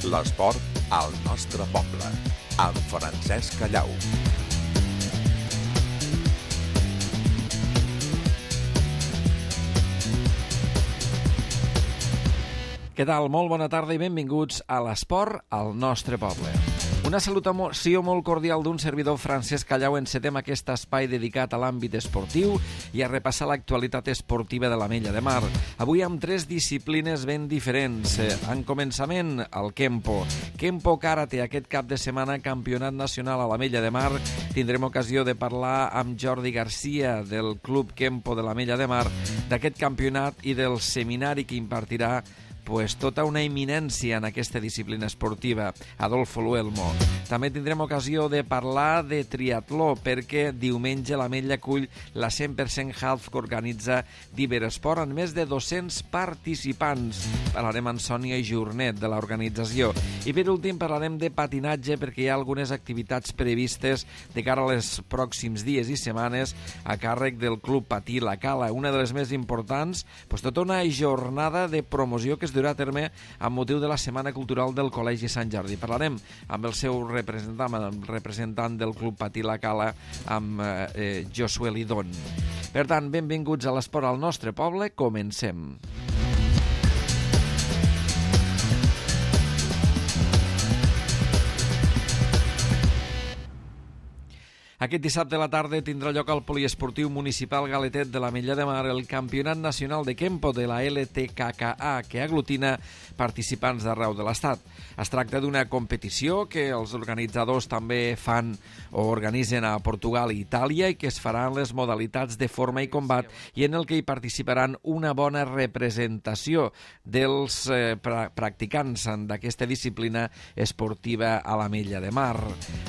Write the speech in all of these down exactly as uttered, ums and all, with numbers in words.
L'esport al nostre poble, amb Francesc Callau. Què tal? Molt bona tarda i benvinguts a l'esport al nostre poble. Una salutació molt cordial d'un servidor, Francesc Callau. Encetem aquest espai dedicat a l'àmbit esportiu i a repassar l'actualitat esportiva de l'Ametlla de Mar. Avui amb tres disciplines ben diferents. En començament, el Kempo. Kempo Karate, aquest cap de setmana, campionat nacional a l'Ametlla de Mar. Tindrem ocasió de parlar amb Jordi Garcia del Club Kempo de l'Ametlla de Mar d'aquest campionat i del seminari que impartirà pues tota una eminència en aquesta disciplina esportiva, Adolfo Luelmo. També tindrem ocasió de parlar de triatló, perquè diumenge l'Ametlla acull la cent per cent Half que organitza d'Iberesport amb més de dos-cents participants. Parlarem amb Sònia Jornet de l'organització. I per últim parlarem de patinatge, perquè hi ha algunes activitats previstes de cara als pròxims dies i setmanes a càrrec del Club Patí La Cala, una de les més importants, pues tota una jornada de promoció que es durà a terme amb motiu de la Setmana Cultural del Col·legi Sant Jordi. Parlarem amb el seu representant, el representant del Club Patí La Cala, amb eh, Josué Lidón. Per tant, benvinguts a l'esport al nostre poble. Comencem. Aquest dissabte a la tarda tindrà lloc al Poliesportiu Municipal Galetet de l'Ametlla de Mar el Campionat Nacional de Kempo de la L T K K A, que aglutina participants d'arreu de l'Estat. Es tracta d'una competició que els organitzadors també fan o organitzen a Portugal i Itàlia i que es farà en les modalitats de forma i combat i en el que hi participaran una bona representació dels eh, pra practicants d'aquesta disciplina esportiva a l'Ametlla de Mar.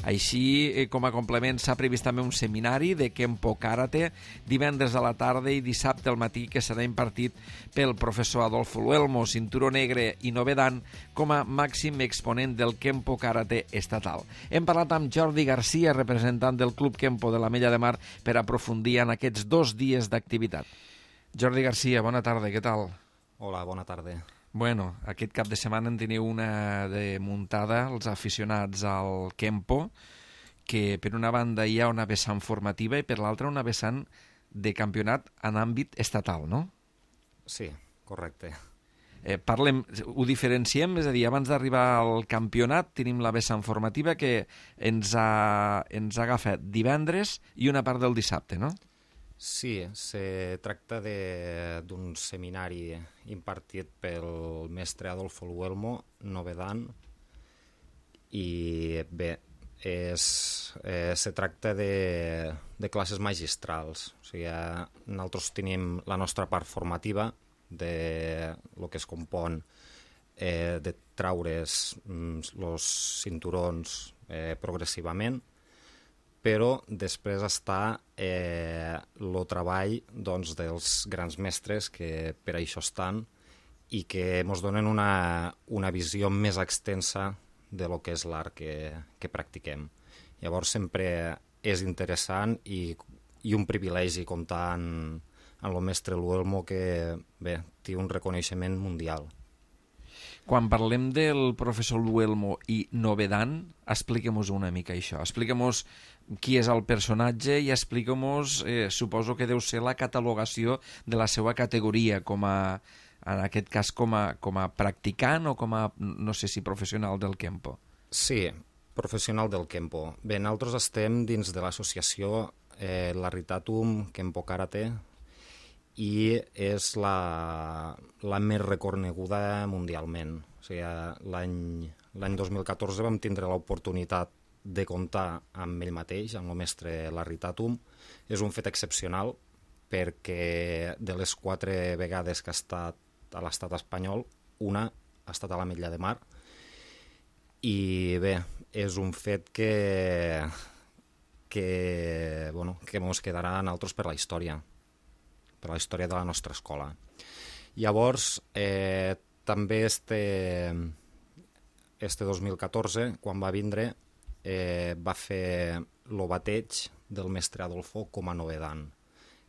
Així, eh, com a complement, s'ha previst també un seminari de Kempo Karate divendres a la tarda i dissabte al matí, que serà impartit pel professor Adolfo Luelmo, cinturó negre i novedan, com a màxim exponent del Kempo Karate estatal. Hem parlat amb Jordi Garcia, representant del Club Kempo de l'Ametlla de Mar, per aprofundir en aquests dos dies d'activitat. Jordi Garcia, bona tarda, què tal? Hola, bona tarda. Bueno, aquest cap de setmana en teniu una de muntada, els aficionats al Kempo, que per una banda hi ha una vessant formativa i per l'altra una vessant de campionat en àmbit estatal, no? Sí, correcte. Eh, parlem, ho diferenciem, és a dir, abans d'arribar al campionat tenim la vessant formativa que ens ha, ens ha agafat divendres i una part del dissabte, no? Sí, se tracta d'un seminari impartit pel mestre Adolfo Luelmo, novedan, i bé, És, eh, se tracta de, de classes magistrals. O sigui, nosaltres tenim la nostra part formativa de lo que es compon eh, de traure's els cinturons eh, progressivament, però després està eh, el treball doncs, dels grans mestres que per això estan i que ens donen una, una visió més extensa de lo que és l'art que, que practiquem. Llavors sempre és interessant i, i un privilegi comptar en, en el mestre Luelmo, que bé, té un reconeixement mundial. Quan parlem del professor Luelmo i novedan, expliquem-nos una mica això. Expliquem-nos qui és el personatge i expliquem-nos, eh, suposo que deu ser la catalogació de la seva categoria com a en aquest cas com a, com a practicant o com a, no sé si professional del Kempo. Sí, professional del Kempo. Bé, nosaltres estem dins de l'associació eh, Laritatum Kempo Karate i és la, la més reconeguda mundialment. O sigui, l'any dos mil catorze vam tindre l'oportunitat de comptar amb ell mateix, amb el mestre Laritatum. És un fet excepcional perquè de les quatre vegades que ha estat a l'estat espanyol, una ha estat a l'Ametlla de Mar, i bé, és un fet que que, bueno, que ens quedarà a nosaltres per la història, per la història de la nostra escola. Llavors, eh, també este, este dos mil catorze, quan va vindre, eh, va fer el bateig del mestre Adolfo com a novedan.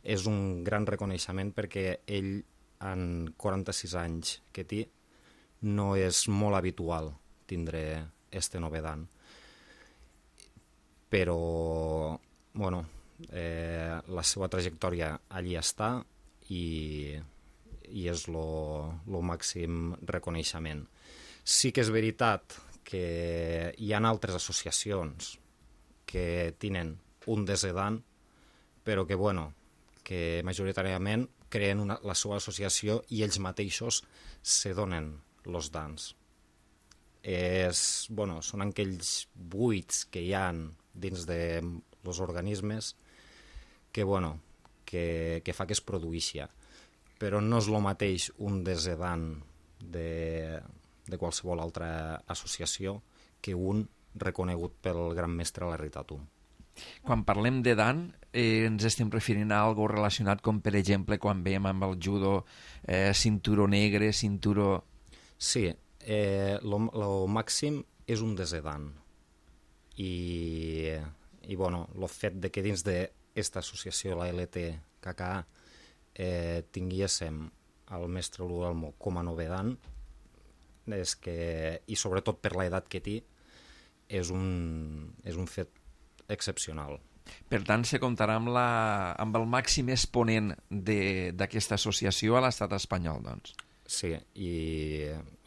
És un gran reconeixement perquè ell, en quaranta-sis anys que té, no és molt habitual tindre este novedan. Però, bueno, eh, la seva trajectòria allí està i, i és el màxim reconeixement. Sí que és veritat que hi ha altres associacions que tenen un desedan, però que, bueno, que majoritàriament creen una, la seva associació i ells mateixos se donen els dans. És, bueno, són aquells buits que hi ha dins dels organismes que, bueno, que, que fa que es produïxi. Però no és el mateix un desedan de, de qualsevol altra associació que un reconegut pel gran mestre Larry Tatum. Quan parlem de dan, eh, ens estem referint a algo relacionat com, per exemple, quan veiem amb el judo eh, cinturó negre, cinturó... Sí, eh, el màxim és un desedan. I, i bueno, el fet de que dins d'aquesta associació, la L T K K A, eh, tinguéssim el mestre Luelmo com a novedan, és que, i sobretot per l'edat que té, és un, és un fet excepcional. Per tant, se comptarà amb, la, amb el màxim exponent d'aquesta associació a l'estat espanyol, doncs. Sí, i,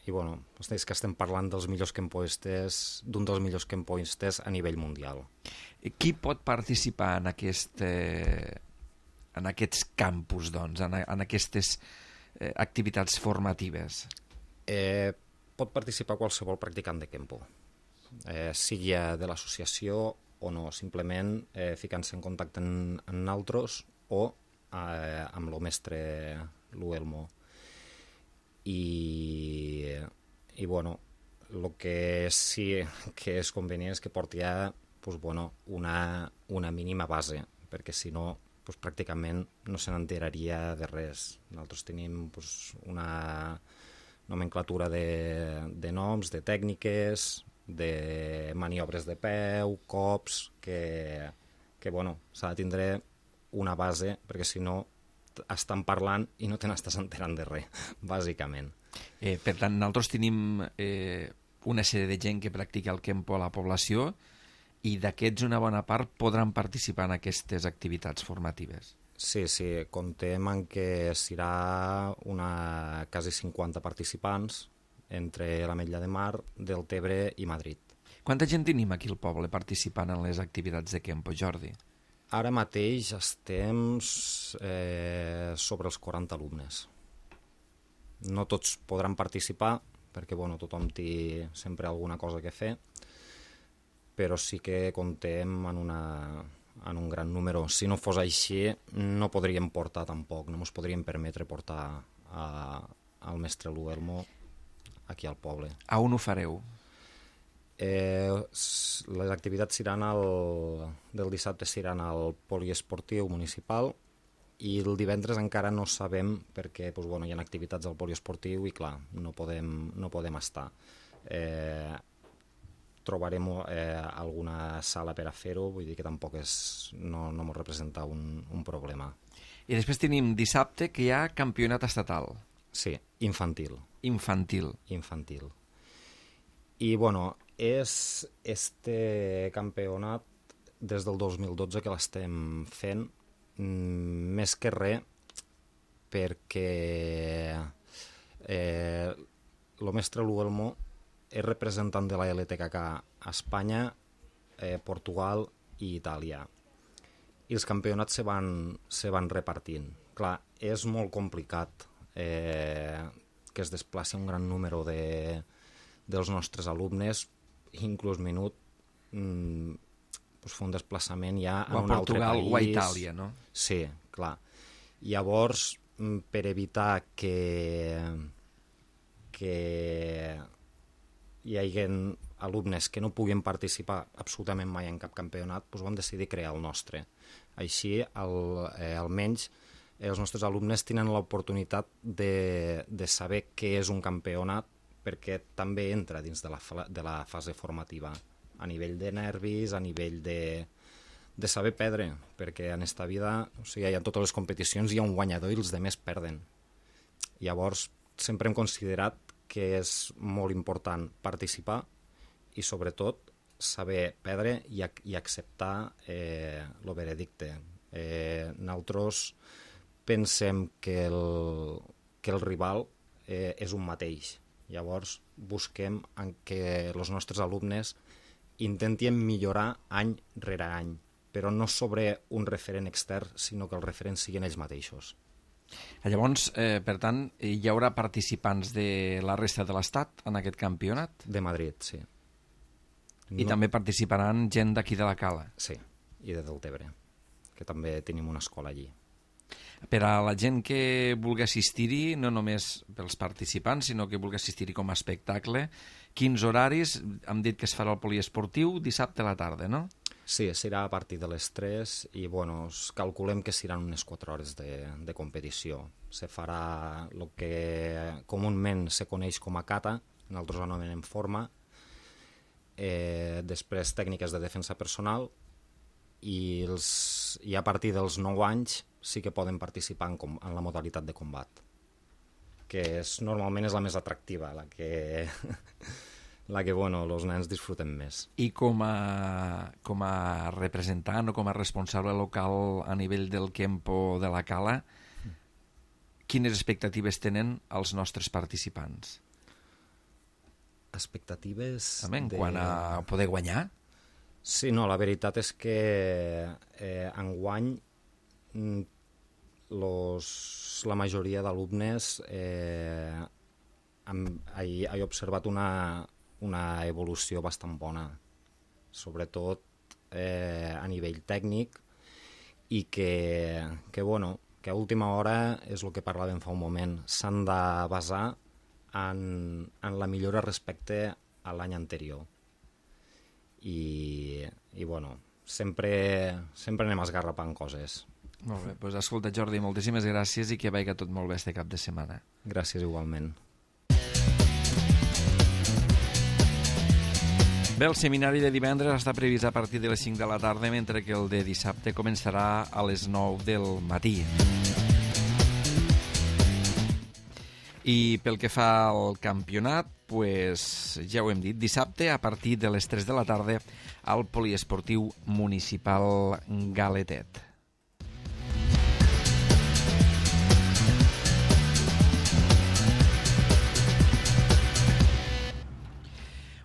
i bueno, és que estem parlant dels millors campoistes, d'un dels millors campoistes a nivell mundial. Qui pot participar en, aquest, eh, en aquests campus, doncs, en, en aquestes eh, activitats formatives? Eh, pot participar qualsevol practicant de kempo, eh, sigui de l'associació o no, simplement eh, ficant-se en contacte amb, amb nosaltres o eh, amb el mestre Luelmo. I, i bueno, el que sí que és convenient és que porti ja pues, bueno, una, una mínima base, perquè si no, pues, pràcticament no se n'enteraria de res. Nosaltres tenim pues, una nomenclatura de, de noms, de tècniques, de maniobres de peu, cops, que, que bueno, s'ha de tindre una base, perquè si no estan parlant i no te n'estàs enterant de res, bàsicament. Eh, per tant, nosaltres tenim eh, una sèrie de gent que practica el kempo a la població i d'aquests una bona part podran participar en aquestes activitats formatives. Sí, sí, comptem en que serà una quasi cinquanta participants entre l'Ametlla de Mar, Deltebre i Madrid. Quanta gent tenim aquí al poble participant en les activitats de kempo, Jordi? Ara mateix estem eh, sobre els quaranta alumnes. No tots podran participar, perquè bueno, tothom té sempre alguna cosa que fer, però sí que comptem en, una, en un gran número. Si no fos així, no podríem portar tampoc, no ens podríem permetre portar a, al mestre Luelmo aquí al poble. A on ho fareu? Eh, les activitats seran el, del dissabte seran al poliesportiu municipal i el divendres encara no sabem perquè pues, bueno, hi ha activitats al poliesportiu i clar, no podem, no podem estar. Eh, trobarem eh, alguna sala per a fer-ho, vull dir que tampoc és, no, no ens representa un, un problema. I després tenim dissabte que hi ha campionat estatal. Sí, infantil. Infantil. Infantil. I, bueno, és este campionat des del dos mil dotze que l'estem fent, més que res perquè eh, el mestre Luelmo és representant de la L T K K a Espanya, eh, Portugal i Itàlia. I els campionats se van, se van repartint. Clar, és molt complicat eh, que es desplaci un gran número de, dels nostres alumnes, inclús minut, mm, pues fer un desplaçament ja en un altre Portugal país. O a Itàlia, no? Sí, clar. Llavors, per evitar que, que hi hagi alumnes que no puguin participar absolutament mai en cap campionat, doncs vam decidir crear el nostre. Així, el, eh, almenys, eh, els nostres alumnes tenen l'oportunitat de, de saber què és un campionat, perquè també entra dins de la, de la fase formativa, a nivell de nervis, a nivell de, de saber perdre, perquè en esta vida, o sigui, en totes les competicions hi ha un guanyador i els demés perden. Llavors, sempre hem considerat que és molt important participar i sobretot saber perdre i, ac i acceptar eh, el veredicte. Eh, nosaltres pensem que el, que el rival eh, és un mateix. Llavors busquem en que els nostres alumnes intentin millorar any rere any, però no sobre un referent extern, sinó que els referents siguin ells mateixos. Llavors, eh, per tant, hi haurà participants de la resta de l'Estat en aquest campionat? De Madrid, sí. I no... també participaran gent d'aquí de la Cala? Sí, i de Deltebre, que també tenim una escola allí. Per a la gent que vulgui assistir-hi, no només pels participants, sinó que vulgui assistir-hi com a espectacle, quins horaris? Hem dit que es farà el poliesportiu dissabte a la tarda, no? Sí, serà a partir de les tres i bueno, calculem que seran unes quatre hores de, de competició. Se farà el que comúment se coneix com a kata, nosaltres anomenem forma, eh, després tècniques de defensa personal i, els, i a partir dels nou anys sí que poden participar en, com, en la modalitat de combat, que és, normalment és la més atractiva, la que... la que, bueno, els nens disfruten més. I com a, com a representant o com a responsable local a nivell del Kempo de la Cala, quines expectatives tenen els nostres participants? Expectatives... També en de... quant a poder guanyar? Sí, no, la veritat és que eh, enguany los, la majoria d'alumnes eh, he, he observat una una evolució bastant bona, sobretot eh, a nivell tècnic, i que, que, bueno, que a última hora és el que parlàvem fa un moment, s'han de basar en, en la millora respecte a l'any anterior. I, i bueno, sempre, sempre anem esgarrapant coses. Molt bé, doncs escolta, Jordi, moltíssimes gràcies i que vagi tot molt bé este cap de setmana. Gràcies igualment. Bé, el seminari de divendres està previst a partir de les cinc de la tarda, mentre que el de dissabte començarà a les nou del matí. I pel que fa al campionat, pues, ja ho hem dit, dissabte a partir de les tres de la tarda al poliesportiu municipal Galetet.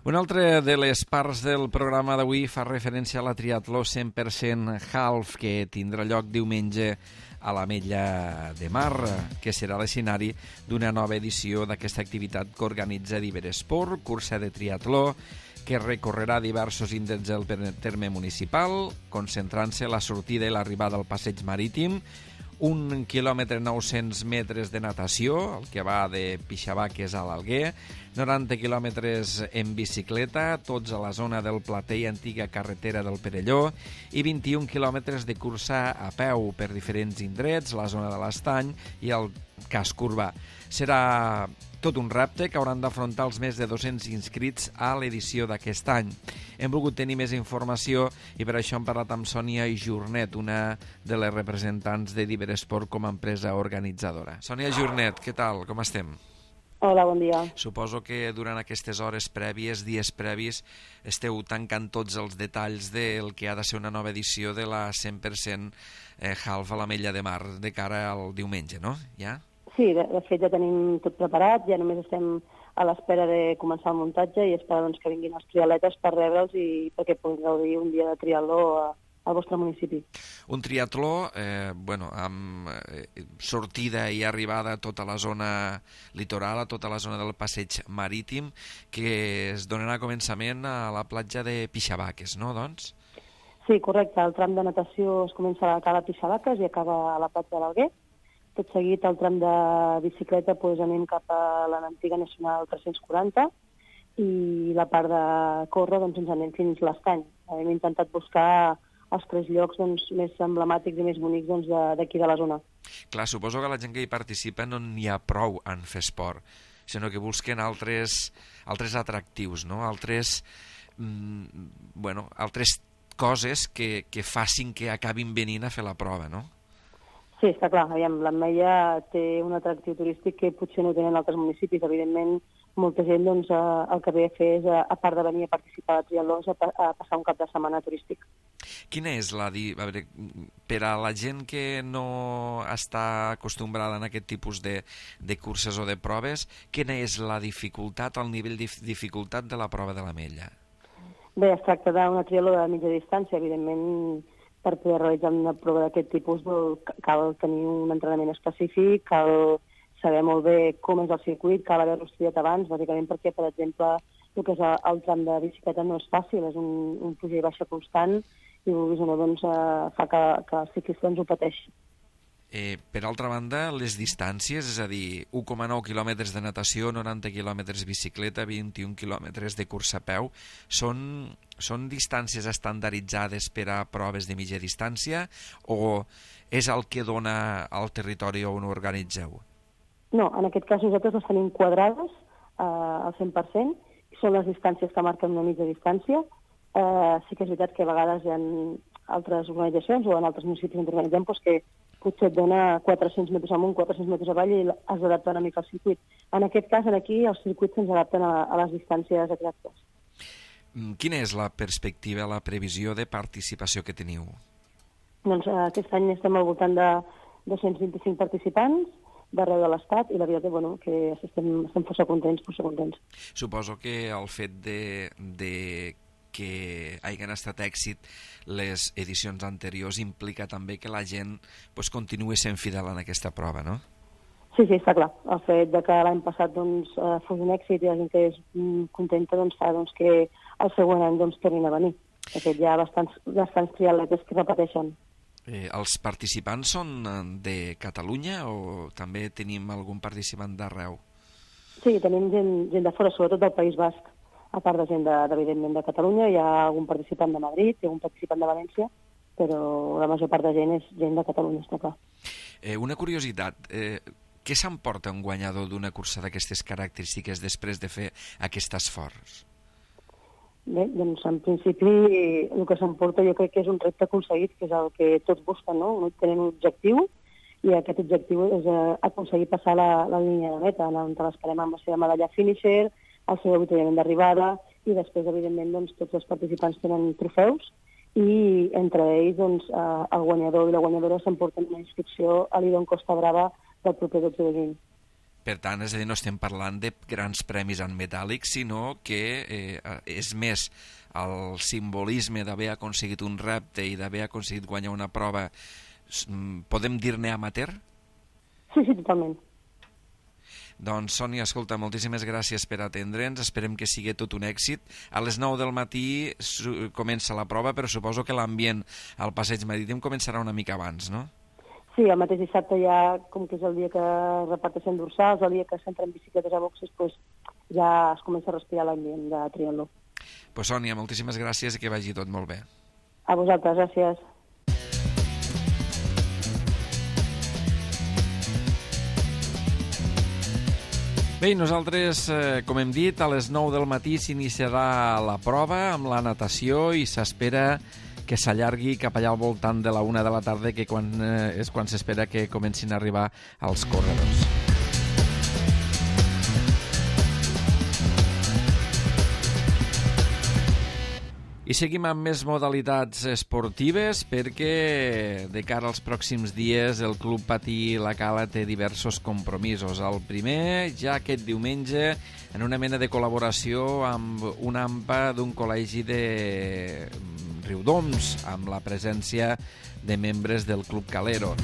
Una altra de les parts del programa d'avui fa referència a la triatló cent per cent half que tindrà lloc diumenge a l'Ametlla de Mar, que serà l'escenari d'una nova edició d'aquesta activitat que organitza Diveresport, cursa de triatló, que recorrerà diversos índexs del terme municipal, concentrant-se la sortida i l'arribada al passeig marítim, un quilòmetre nou-cents metres de natació, el que va de Pixabaques a l'Alguer, noranta quilòmetres en bicicleta, tots a la zona del Plater i antiga carretera del Perelló, i vint-i-un quilòmetres de cursa a peu per diferents indrets, la zona de l'Estany i el casc urbà. Serà tot un repte que hauran d'afrontar els més de dos-cents inscrits a l'edició d'aquest any. Hem volgut tenir més informació i per això hem parlat amb Sònia Jornet, una de les representants de Diveresport com a empresa organitzadora. Sònia Jornet, què tal? Com estem? Hola, bon dia. Suposo que durant aquestes hores prèvies, dies previs, esteu tancant tots els detalls del que ha de ser una nova edició de la cent per cent half a l'Ametlla de Mar de cara al diumenge, no? Ja? Sí, de, de fet ja tenim tot preparat, ja només estem a l'espera de començar el muntatge i esperar doncs, que vinguin els triatletes per rebre'ls i perquè puguin gaudir un dia de triatló a, al vostre municipi. Un triatló eh, bueno, amb eh, sortida i arribada a tota la zona litoral, a tota la zona del passeig marítim, que es donarà començament a la platja de Pixabaques, no, doncs? Sí, correcte. El tram de natació es comença a Cala Pixabaques i acaba a la platja de l'Alguer. Tot seguit, el tram de bicicleta doncs, anem cap a l'antiga Nacional tres-cents quaranta i la part de córrer doncs, ens anem fins a l'Estany. Hem intentat buscar els tres llocs doncs, més emblemàtics i més bonics doncs, d'aquí de, de la zona. Clar, suposo que la gent que hi participa no n'hi ha prou en fer esport, sinó que busquen altres, altres atractius, no? altres, mm, bueno, altres coses que, que facin que acabin venint a fer la prova, no? Sí, està clar. Aviam, l'Ametlla té un atractiu turístic que potser no tenen altres municipis. Evidentment, molta gent doncs, el que ve a fer és, a part de venir a participar a triatló, a, a passar un cap de setmana turístic. Quina és la... Di... A veure, per a la gent que no està acostumbrada en aquest tipus de, de curses o de proves, quina és la dificultat, el nivell de dificultat de la prova de l'Ametlla? Bé, es tracta d'una triatló de mitja distància. Evidentment, per poder realitzar una prova d'aquest tipus cal tenir un entrenament específic, cal saber molt bé com és el circuit, cal haver-lo estudiat abans, bàsicament perquè, per exemple, el que és el tram de bicicleta no és fàcil, és un, un puja i baixa constant i, vulguis o no, doncs, fa que, que els ciclistes ho pateixin. Eh, per altra banda, les distàncies, és a dir, u coma nou quilòmetres de natació, noranta quilòmetres bicicleta, vint-i-un quilòmetres de cursa a peu, són, són distàncies estandarditzades per a proves de mitja distància o és el que dona al territori on ho organitzeu? No, en aquest cas nosaltres les tenim quadrades eh, al cent per cent, són les distàncies que marquen una mitja distància. Eh, sí que és veritat que a vegades hi ha altres organitzacions o en altres municipis on organitzem doncs, que potser et dona quatre-cents metres amunt, quatre-cents metres avall i has d'adaptar una mica al circuit. En aquest cas, aquí, els circuits se'ns adapten a, a les distàncies exactes. Quina és la perspectiva, la previsió de participació que teniu? Doncs eh, aquest any estem al voltant de dos-cents vint-i-cinc participants d'arreu de l'Estat i la veritat és bueno, que estem, estem força contents, força contents. Suposo que el fet de, de que hagin estat èxit les edicions anteriors implica també que la gent pues, continuï sent fidel en aquesta prova, no? Sí, sí, està clar. El fet de que l'any passat doncs, fos un èxit i la gent que és contenta doncs, fa doncs, que el següent any doncs, tornin a venir. De fet, hi ha bastants, bastants triatletes que repeteixen. Eh, els participants són de Catalunya o també tenim algun participant d'arreu? Sí, tenim gent, gent de fora, sobretot del País Basc. A part de gent, de, evidentment, de Catalunya, hi ha algun participant de Madrid, hi ha algun participant de València, però la major part de gent és gent de Catalunya, està clar. Eh, una curiositat, eh, què s'emporta un guanyador d'una cursa d'aquestes característiques després de fer aquest esforç? Bé, doncs en principi el que s'emporta jo crec que és un repte aconseguit, que és el que tots busquen, no? Tenen un objectiu i aquest objectiu és eh, aconseguir passar la, la línia de meta, on l'esperem amb la seva medalla finisher, el seu avituallament d'arribada i després, evidentment, doncs, tots els participants tenen trofeus i entre ells doncs, eh, el guanyador i la guanyadora s'emporten una inscripció a l'Idon Costa Brava del proper dotze de juny. Per tant, és a dir, no estem parlant de grans premis en metàl·lic, sinó que eh, és més el simbolisme d'haver aconseguit un repte i d'haver aconseguit guanyar una prova, podem dir-ne amateur? Sí, sí, totalment. Doncs, Sònia, escolta, moltíssimes gràcies per atendre'ns, esperem que sigui tot un èxit. A les nou del matí comença la prova, però suposo que l'ambient al passeig marítim començarà una mica abans, no? Sí, el mateix dissabte ja, com que és el dia que reparteixen dorsals, el dia que s'entren bicicletes a boxes, doncs ja es comença a respirar l'ambient de triatló. Pues, Sònia, moltíssimes gràcies i que vagi tot molt bé. A vosaltres, gràcies. Bé, nosaltres, eh, com hem dit, a les nou del matí s'iniciarà la prova amb la natació i s'espera que s'allargui cap allà al voltant de la una de la tarda, que quan, eh, és quan s'espera que comencin a arribar els corredors. I seguim amb més modalitats esportives perquè de cara als pròxims dies el Club Patí La Cala té diversos compromisos. El primer, ja aquest diumenge, en una mena de col·laboració amb una AMPA d'un col·legi de Riudoms, amb la presència de membres del Club Calero.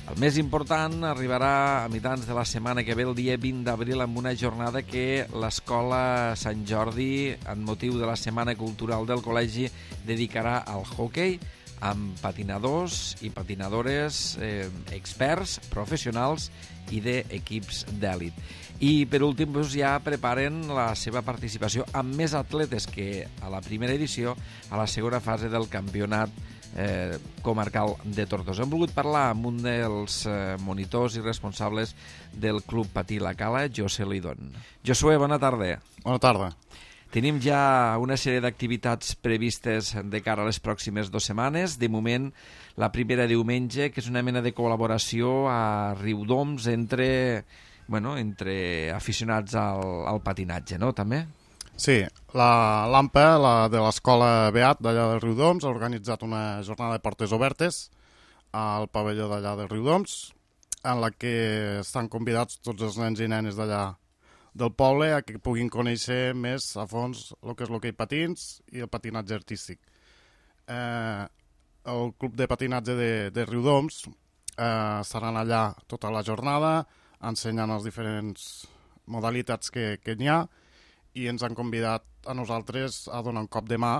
El més important arribarà a mitjans de la setmana que ve, el dia vint d'abril, amb una jornada que l'Escola Sant Jordi, en motiu de la Setmana Cultural del Col·legi, dedicarà al hoquei amb patinadors i patinadores eh, experts, professionals i d'equips d'èlit. I per últim doncs, ja preparen la seva participació amb més atletes que a la primera edició, a la segona fase del campionat Eh, comarcal de Tortosa. Hem volgut parlar amb un dels eh, monitors i responsables del Club Patí La Cala, José Lidón. Josué, bona tarda. Bona tarda. Tenim ja una sèrie d'activitats previstes de cara a les pròximes dues setmanes. De moment, la primera diumenge, que és una mena de col·laboració a Riudoms entre, bueno, entre aficionats al, al patinatge, no?, també? Sí, la l'AMPA, la de l'Escola Beat d'allà de Riudoms, ha organitzat una jornada de portes obertes al pavelló d'allà de Riudoms, en la que estan convidats tots els nens i nenes d'allà del poble a que puguin conèixer més a fons el que és l'hoquei patins i el patinatge artístic. Eh, el club de patinatge de, de Riudoms eh, estaran allà tota la jornada ensenyant les diferents modalitats que, que n'hi ha, i ens han convidat a nosaltres a donar un cop de mà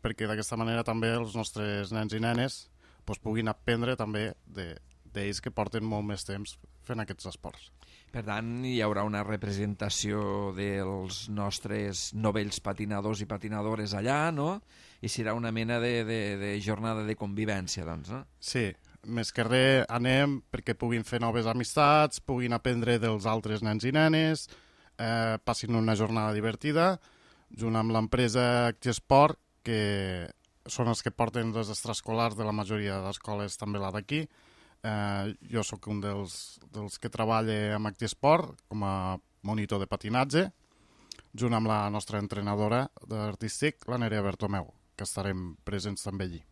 perquè d'aquesta manera també els nostres nens i nenes pues, puguin aprendre també de, d'ells que porten molt més temps fent aquests esports. Per tant, hi haurà una representació dels nostres novells patinadors i patinadores allà, no? I serà una mena de, de, de jornada de convivència, doncs, no? Sí, més que res anem perquè puguin fer noves amistats, puguin aprendre dels altres nens i nenes, eh, passin una jornada divertida, junt amb l'empresa Actiesport, que són els que porten les extraescolars de la majoria d'escoles, també la d'aquí. Eh, jo sóc un dels, dels que treballa amb Actiesport com a monitor de patinatge, junt amb la nostra entrenadora d'artístic, la Nerea Bertomeu, que estarem presents també allí.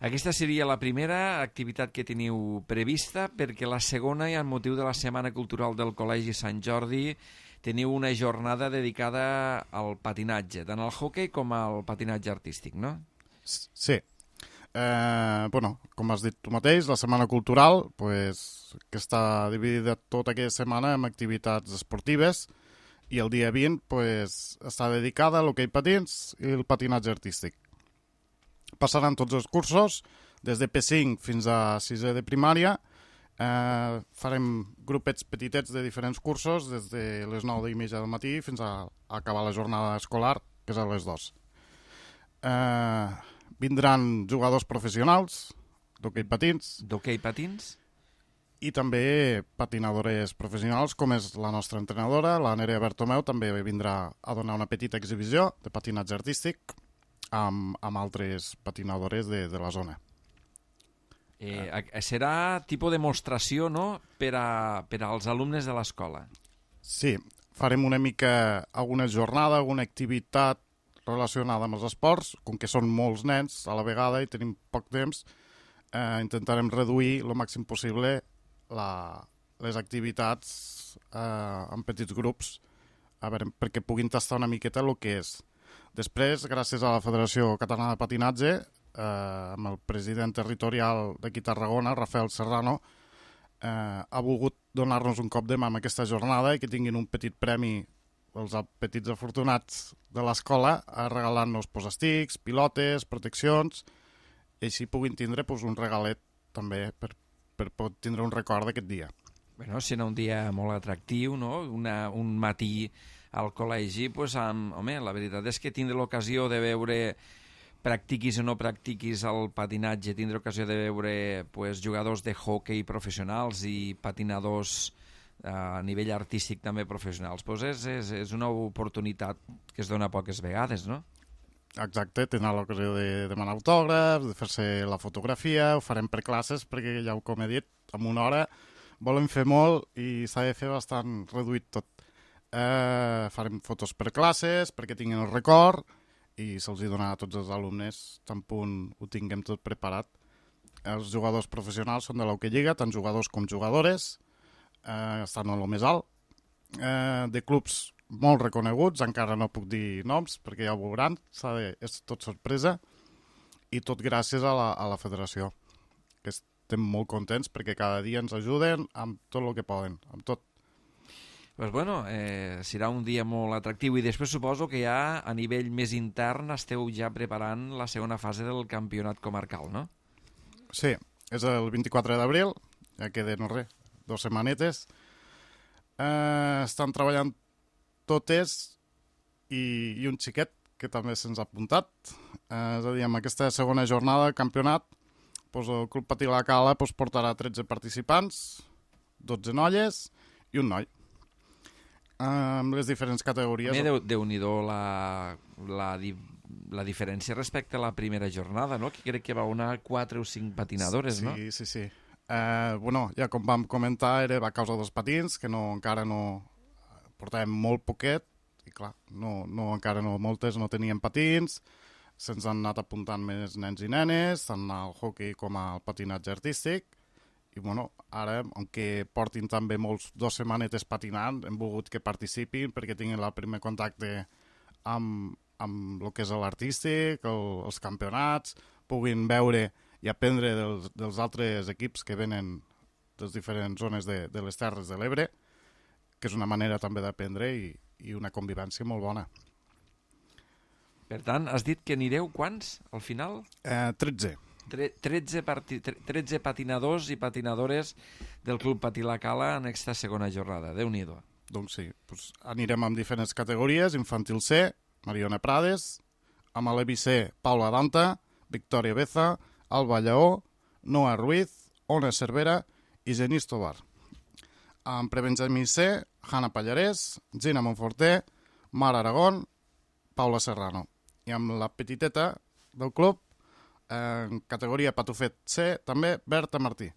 Aquesta seria la primera activitat que teniu prevista, perquè la segona, i amb motiu de la Setmana Cultural del Col·legi Sant Jordi, teniu una jornada dedicada al patinatge, tant al hoquei com al patinatge artístic, no? Sí. Eh, bueno, com has dit tu mateix, la Setmana Cultural, pues, que està dividida tota aquesta setmana en activitats esportives, i el dia vint pues, està dedicada a l'hoquei patins i el patinatge artístic. Passaran tots els cursos, des de P cinc fins a sisè de primària. Eh, farem grupets petitets de diferents cursos, des de les nou i mitja del matí fins a, a acabar la jornada escolar, que és a les dues. Eh, vindran jugadors professionals d'hoquei patins. D'hoquei patins? I també patinadores professionals, com és la nostra entrenadora, la Nerea Bertomeu, també vindrà a donar una petita exhibició de patinatge artístic amb, amb altres patinadores de, de la zona. Eh, serà tipus de demostració, no?, per, a, per als alumnes de l'escola. Sí, farem una mica alguna jornada, alguna activitat relacionada amb els esports, com que són molts nens a la vegada i tenim poc temps, eh, intentarem reduir el màxim possible la, les activitats eh, en petits grups, a veure, perquè puguin tastar una miqueta el que és. Després, gràcies a la Federació Catalana de Patinatge, eh, amb el president territorial d'aquí Tarragona, Rafael Serrano, eh, ha volgut donar-nos un cop de mà en aquesta jornada i que tinguin un petit premi els petits afortunats de l'escola, regalant-nos pues, estics, pilotes, proteccions, i així puguin tindre pues, un regalet també per, per poder tindre un record d'aquest dia. Bueno, serà un dia molt atractiu, no? Una, un matí al col·legi, pues, amb, home, la veritat és que tindre l'ocasió de veure, practiquis o no practiquis el patinatge, tindre ocasió de veure pues, jugadors de hoquei professionals i patinadors a nivell artístic també professionals, pues és, és, és una oportunitat que es dona poques vegades, no? Exacte, tindrà l'ocasió de demanar autògrafs, de fer-se la fotografia, ho farem per classes, perquè ja com he dit, en una hora volem fer molt i s'ha de fer bastant reduït tot. Eh, farem fotos per classes perquè tinguin el record i se'ls hi donarà a tots els alumnes tan punt ho tinguem tot preparat. Els jugadors professionals són de l'Hockey Lliga, tant jugadors com jugadores, eh, estan a lo més alt, eh, de clubs molt reconeguts, encara no puc dir noms perquè ja ho veuran, de, és tot sorpresa, i tot gràcies a la, a la federació, que estem molt contents perquè cada dia ens ajuden amb tot el que poden, amb tot. Pues bueno, eh, serà un dia molt atractiu i després suposo que ja a nivell més intern esteu ja preparant la segona fase del campionat comarcal, no? Sí, és el vint-i-quatre d'abril, ja queden res, dues setmanetes. Eh, estan treballant totes i, i un xiquet que també se'ns ha apuntat. Eh, és a dir, amb aquesta segona jornada del campionat, doncs el Club Patí La Cala doncs, portarà tretze participants, dotze noies i un noi. amb les diferents categories. També Déu- Déu-n'hi-do la, la, di, la diferència respecte a la primera jornada, no? Que crec que va una quatre o cinc patinadores, sí, no? Sí, sí, sí. Eh, bueno, ja com vam comentar, era a causa dels patins, que no, encara no portàvem molt poquet, i clar, no, no, encara no, moltes no tenien patins, se'ns han anat apuntant més nens i nenes, tant al hockey com al patinatge artístic, i bueno, ara, aunque portin també molts dos setmanetes patinant, hem volgut que participin perquè tinguin el primer contacte amb, amb el que és l'artístic, el, els campionats, puguin veure i aprendre dels, dels altres equips que venen de les diferents zones de, de les Terres de l'Ebre, que és una manera també d'aprendre i, i una convivència molt bona. Per tant, has dit que anireu quants, al final? Eh, tretze. Tre tretze, parti tretze patinadors i patinadores del Club Patí La Cala en aquesta segona jornada. Déu-n'hi-do. Doncs sí, doncs anirem amb diferents categories, infantil C, Mariona Prades, amb l'E B C, Paula Danta, Victòria Beza, Alba Lleó, Noa Ruiz, Ona Cervera i Genís Tobar. Amb prebenjamí C, Hanna Pallarès, Gina Monforté, Mar Aragón, Paula Serrano. I amb la petiteta del club, en categoria Patufet C, també Berta Martí.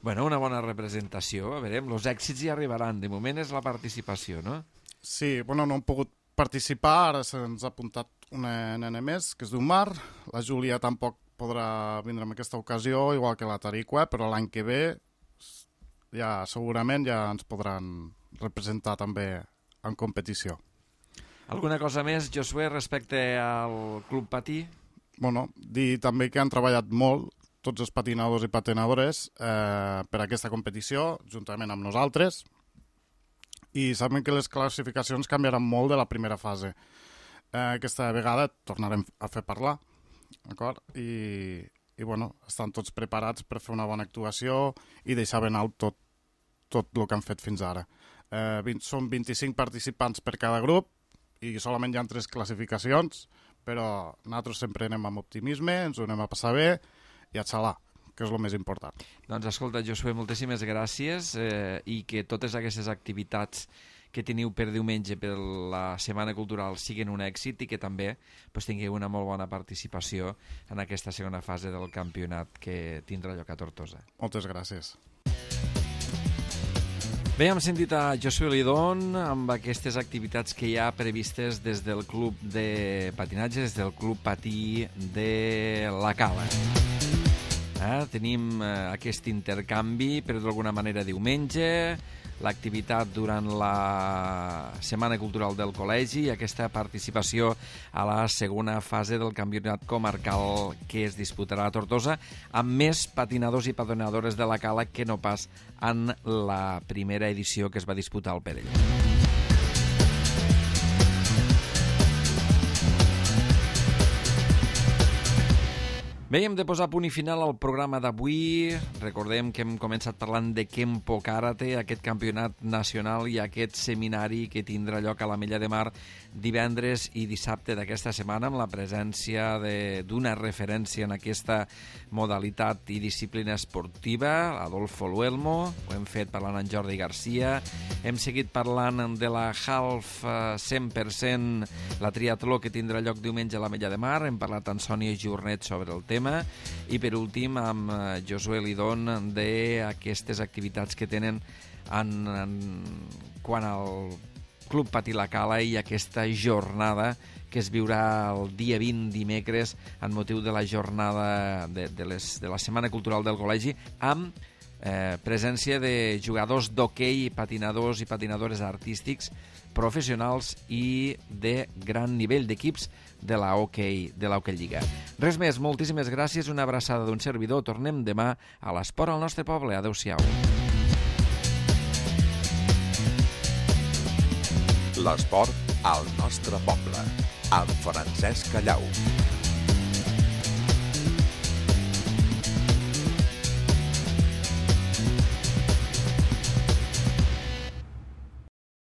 Bueno, una bona representació. A veure, els èxits hi arribaran. De moment és la participació, no? Sí, bueno, no hem pogut participar, ara se'ns ha apuntat una nena més, que és diu Mar. La Júlia tampoc podrà vindre en aquesta ocasió, igual que la Tariqua, però l'any que ve ja segurament ja ens podran representar també en competició. Alguna cosa més, Josué, respecte al Club Patí? Bueno, dir també que han treballat molt tots els patinadors i patinadores eh, per a aquesta competició, juntament amb nosaltres, i saben que les classificacions canviaran molt de la primera fase. Eh, aquesta vegada tornarem a fer parlar, d'acord? I, i bueno, estan tots preparats per fer una bona actuació i deixar ben alt tot, tot el que han fet fins ara. Eh, vint, són vint-i-cinc participants per cada grup i solament hi ha tres classificacions, però nosaltres sempre anem amb optimisme, ens ho anem a passar bé i a xalar, que és el més important. Doncs escolta, Josué, moltíssimes gràcies eh, i que totes aquestes activitats que teniu per diumenge per la Setmana Cultural siguin un èxit i que també pues, tingueu una molt bona participació en aquesta segona fase del campionat que tindrà lloc a Tortosa. Moltes gràcies. Bé, hem sentit a Josué Lidón amb aquestes activitats que hi ha previstes des del Club de Patinatge, des del Club Patí de La Cala. Eh, tenim eh, aquest intercanvi, però d'alguna manera diumenge, l'activitat durant la Setmana Cultural del Col·legi i aquesta participació a la segona fase del campionat comarcal que es disputarà a Tortosa amb més patinadors i patinadores de La Cala que no pas en la primera edició que es va disputar al Perelló. Bé, hem de posar punt i final al programa d'avui. Recordem que hem començat parlant de Kempo Karate, aquest campionat nacional i aquest seminari que tindrà lloc a l'Ametlla de Mar divendres i dissabte d'aquesta setmana amb la presència d'una referència en aquesta modalitat i disciplina esportiva, Adolfo Luelmo. Ho hem fet parlant amb Jordi Garcia. Hem seguit parlant de la Half cent per cent, la triatló que tindrà lloc diumenge a l'Ametlla de Mar. Hem parlat amb Sònia Jornet sobre el tema. I per últim amb Josué Lidón d'aquestes activitats que tenen en, en, quan al Club Patí La Cala i aquesta jornada que es viurà el dia vint dimecres en motiu de la jornada de, de, les, de la Setmana Cultural del Col·legi amb eh, presència de jugadors d'hoquei, patinadors i patinadores artístics professionals i de gran nivell d'equips de la hoquei, de la Hockey Lliga. Res més, moltíssimes gràcies, una abraçada d'un servidor. Tornem demà a l'Esport al nostre poble. Adéu-siau. L'esport al nostre poble, amb Francesc Callau.